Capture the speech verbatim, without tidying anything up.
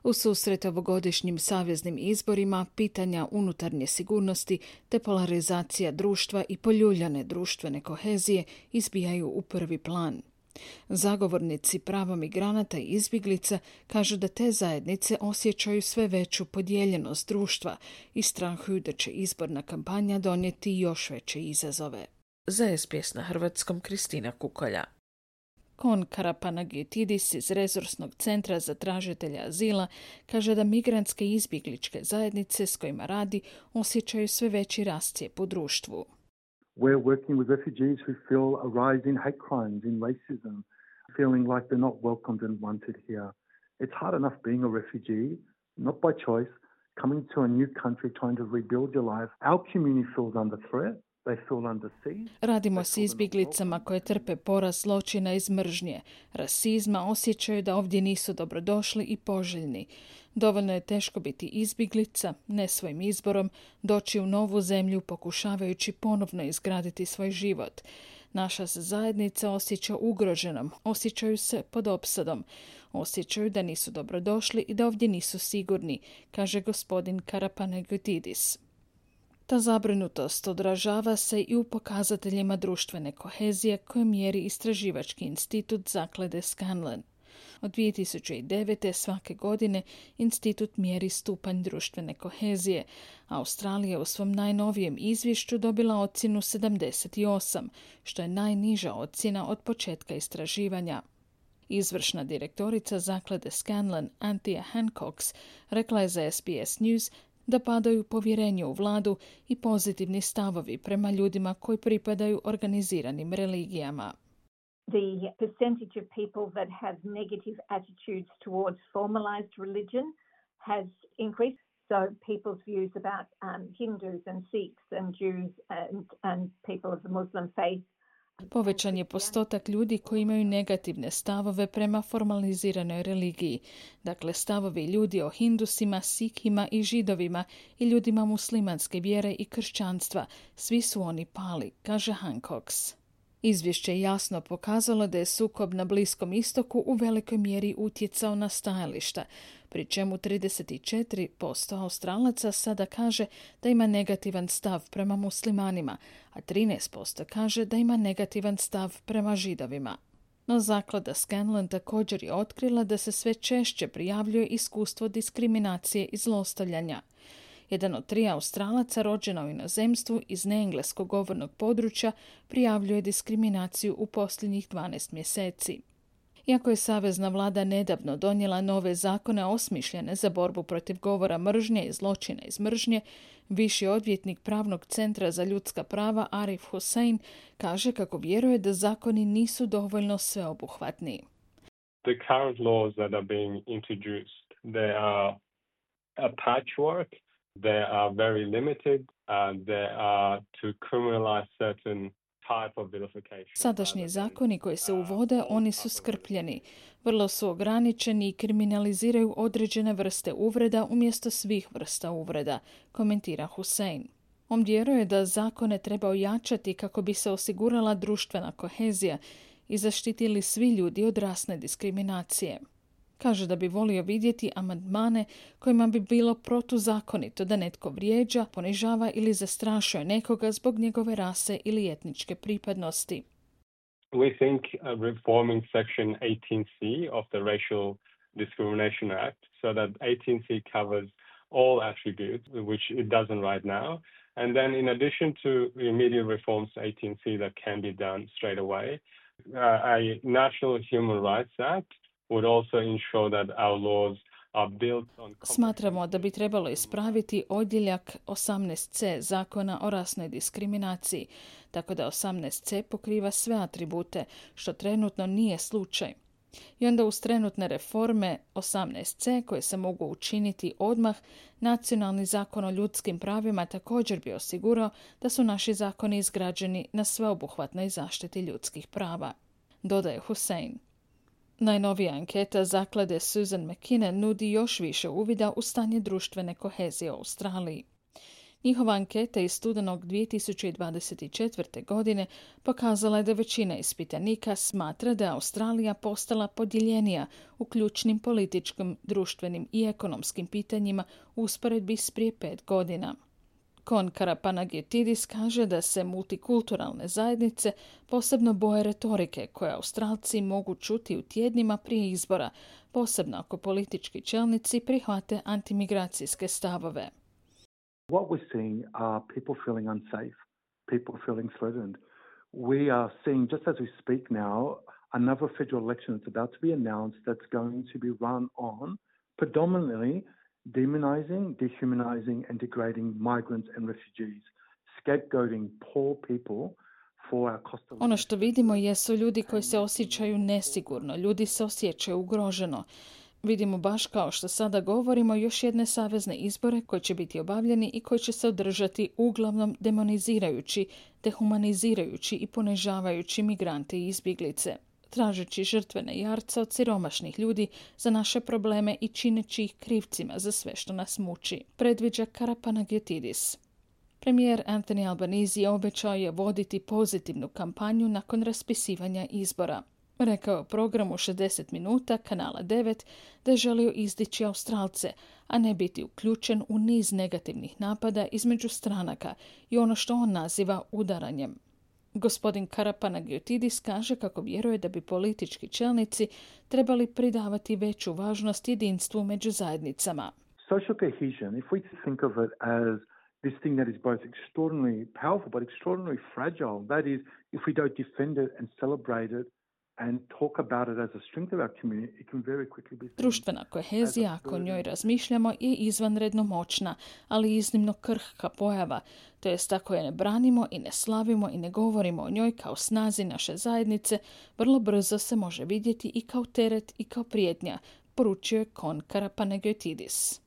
U susret ovogodišnjim saveznim izborima, pitanja unutarnje sigurnosti te polarizacija društva i poljuljane društvene kohezije izbijaju u prvi plan. Zagovornici prava migranata i izbjeglica kažu da te zajednice osjećaju sve veću podijeljenost društva i strahuju da će izborna kampanja donijeti još veće izazove. Za es be es na hrvatskom Kristina Kukolja. Kon Karapanagiotis iz Resursnog centra za tražitelja azila kaže da migrantske i izbjegličke zajednice s kojima radi osjećaju sve veći rascijep u društvu. We're working with refugees who feel a rise in hate crimes, in racism, feeling like they're not welcomed and wanted here. It's hard enough being a refugee, not by choice, coming to a new country, trying to rebuild your life. Our community feels under threat. Radimo s izbjeglicama koje trpe porast zločina iz mržnje, rasizma, osjećaju da ovdje nisu dobrodošli i poželjni. Dovoljno je teško biti izbjeglica, ne svojim izborom, doći u novu zemlju pokušavajući ponovno izgraditi svoj život. Naša se zajednica osjeća ugroženom, osjećaju se pod opsadom, osjećaju da nisu dobrodošli i da ovdje nisu sigurni, kaže gospodin Karapanagiotis. Ta zabrinutost odražava se i u pokazateljima društvene kohezije koje mjeri istraživački institut zaklade Scanlon. Od dvije tisuće devete. svake godine institut mjeri stupanj društvene kohezije. Australija u svom najnovijem izvješću dobila ocjenu sedamdeset osam, što je najniža ocjena od početka istraživanja. Izvršna direktorica zaklade Scanlon, Anthea Hancox, rekla je za es be es News da padaju povjerenje u vladu i pozitivni stavovi prema ljudima koji pripadaju organiziranim religijama. The percentage of people that have negative attitudes towards formalized religion has increased. So people's views about um, Hindus and Sikhs and Jews and, and people of the Muslim faith. Povećan je postotak ljudi koji imaju negativne stavove prema formaliziranoj religiji. Dakle, stavovi ljudi o Hindusima, Sikhima i Židovima i ljudima muslimanske vjere i kršćanstva. Svi su oni pali, kaže Hancox. Izvješće je jasno pokazalo da je sukob na Bliskom istoku u velikoj mjeri utjecao na stajališta, pri čemu trideset četiri posto Australaca sada kaže da ima negativan stav prema muslimanima, a trinaest posto kaže da ima negativan stav prema Židovima. No zaklada Scanlon također je otkrila da se sve češće prijavljuje iskustvo diskriminacije i zlostavljanja. Jedan od tri Australaca rođena u inozemstvu iz neengleskog govornog područja prijavljuje diskriminaciju u posljednjih dvanaest mjeseci. Iako je savezna vlada nedavno donijela nove zakone osmišljene za borbu protiv govora mržnje i zločina iz mržnje, viši odvjetnik Pravnog centra za ljudska prava Arif Hussein kaže kako vjeruje da zakoni nisu dovoljno sveobuhvatni. The current laws that are being introduced, they are a patchwork. They are very limited. Uh, they are to criminalize certain type of vilification. Sadašnji zakoni koji se uvode, oni su skrpljeni. Vrlo su ograničeni i kriminaliziraju određene vrste uvreda umjesto svih vrsta uvreda, komentira Hussein. On vjeruje da zakone treba ojačati kako bi se osigurala društvena kohezija i zaštitili svi ljudi od rasne diskriminacije. Kaže da bi volio vidjeti amandmane kojima bi bilo protuzakonito da netko vrijeđa, ponižava ili zastrašuje nekoga zbog njegove rase ili etničke pripadnosti. We think uh, reforming section eighteen C of the Racial Discrimination Act so that eighteen C covers all attributes, which it doesn't right now. And then in addition to immediate reforms to eighteen C that can be done straight away, uh, a National Human Rights Act would also ensure that our laws are built on... Smatramo da bi trebalo ispraviti odjeljak osamnaest C zakona o rasnoj diskriminaciji, tako da osamnaest C pokriva sve atribute, što trenutno nije slučaj. I onda uz trenutne reforme osamnaest C koje se mogu učiniti odmah, nacionalni zakon o ljudskim pravima također bi osigurao da su naši zakoni izgrađeni na sveobuhvatnoj zaštiti ljudskih prava, dodaje Hussein. Najnovija anketa zaklade Susan McKinnon nudi još više uvida u stanje društvene kohezije u Australiji. Njihova anketa iz studenog dvije tisuće dvadeset četvrte. godine pokazala je da većina ispitanika smatra da je Australija postala podijeljenija u ključnim političkim, društvenim i ekonomskim pitanjima u usporedbi s prije pet godina. Kon Karapanagiotidis kaže da se multikulturalne zajednice posebno boje retorike koje Australci mogu čuti u tjednima prije izbora, posebno ako politički čelnici prihvate antimigracijske stavove. What we're seeing are people feeling unsafe, people feeling threatened. We are seeing, just as we speak now, another federal election that's about to be announced that's going to be run on predominantly demonizing, dehumanizing and degrading migrants and refugees, scapegoating poor people for our cost of living. Ono što vidimo jesu ljudi koji se osjećaju nesigurno, ljudi se osjećaju ugroženo. Vidimo baš kao što sada govorimo još jedne savezne izbore koji će biti obavljeni i koji će se održati uglavnom demonizirajući, dehumanizirajući i ponižavajući migrante i izbjeglice, tražeći žrtvene jarca od siromašnih ljudi za naše probleme i čineći ih krivcima za sve što nas muči, predviđa Karapanagiotidis. Premijer Anthony Albanese obećao je voditi pozitivnu kampanju nakon raspisivanja izbora. Rekao je u programu šezdeset minuta kanala devet da je želio izdići Australce, a ne biti uključen u niz negativnih napada između stranaka i ono što on naziva udaranjem. Gospodin Karapanagiotidis kaže kako vjeruje da bi politički čelnici trebali pridavati veću važnost jedinstvu među zajednicama. Social cohesion, if we think of it as this thing that is both extraordinarily powerful but extraordinarily fragile, that is, if we don't defend it and celebrate it and talk about it as a strength of our community, it can very quickly be... Društvena kohezija, ako o njoj razmišljamo, je izvanredno moćna, ali iznimno krhka pojava. To jest, ako je ne branimo i ne slavimo i ne govorimo o njoj kao snazi naše zajednice, vrlo brzo se može vidjeti i kao teret i kao prijetnja, poručio je Kon Karapanagiotidis.